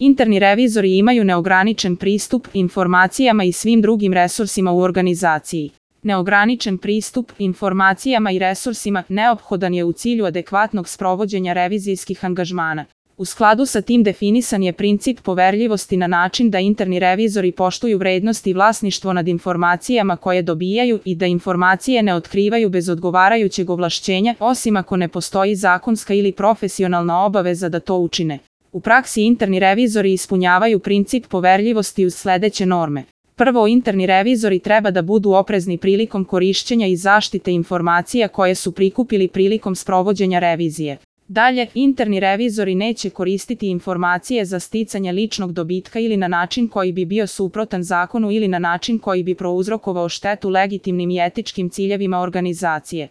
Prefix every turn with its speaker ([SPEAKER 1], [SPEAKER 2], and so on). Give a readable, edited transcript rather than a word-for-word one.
[SPEAKER 1] Interni revizori imaju neograničen pristup informacijama i svim drugim resursima u organizaciji. Neograničen pristup informacijama i resursima neophodan je u cilju adekvatnog sprovođenja revizijskih angažmana. U skladu sa tim definisan je princip poverljivosti na način da interni revizori poštuju vrednost i vlasništvo nad informacijama koje dobijaju i da informacije ne otkrivaju bez odgovarajućeg ovlašćenja, osim ako ne postoji zakonska ili profesionalna obaveza da to učine. U praksi interni revizori ispunjavaju princip poverljivosti uz sledeće norme. Prvo, interni revizori treba da budu oprezni prilikom korišćenja i zaštite informacija koje su prikupili prilikom sprovođenja revizije. Dalje, interni revizori neće koristiti informacije za sticanje ličnog dobitka ili na način koji bi bio suprotan zakonu ili na način koji bi prouzrokovao štetu legitimnim i etičkim ciljevima organizacije.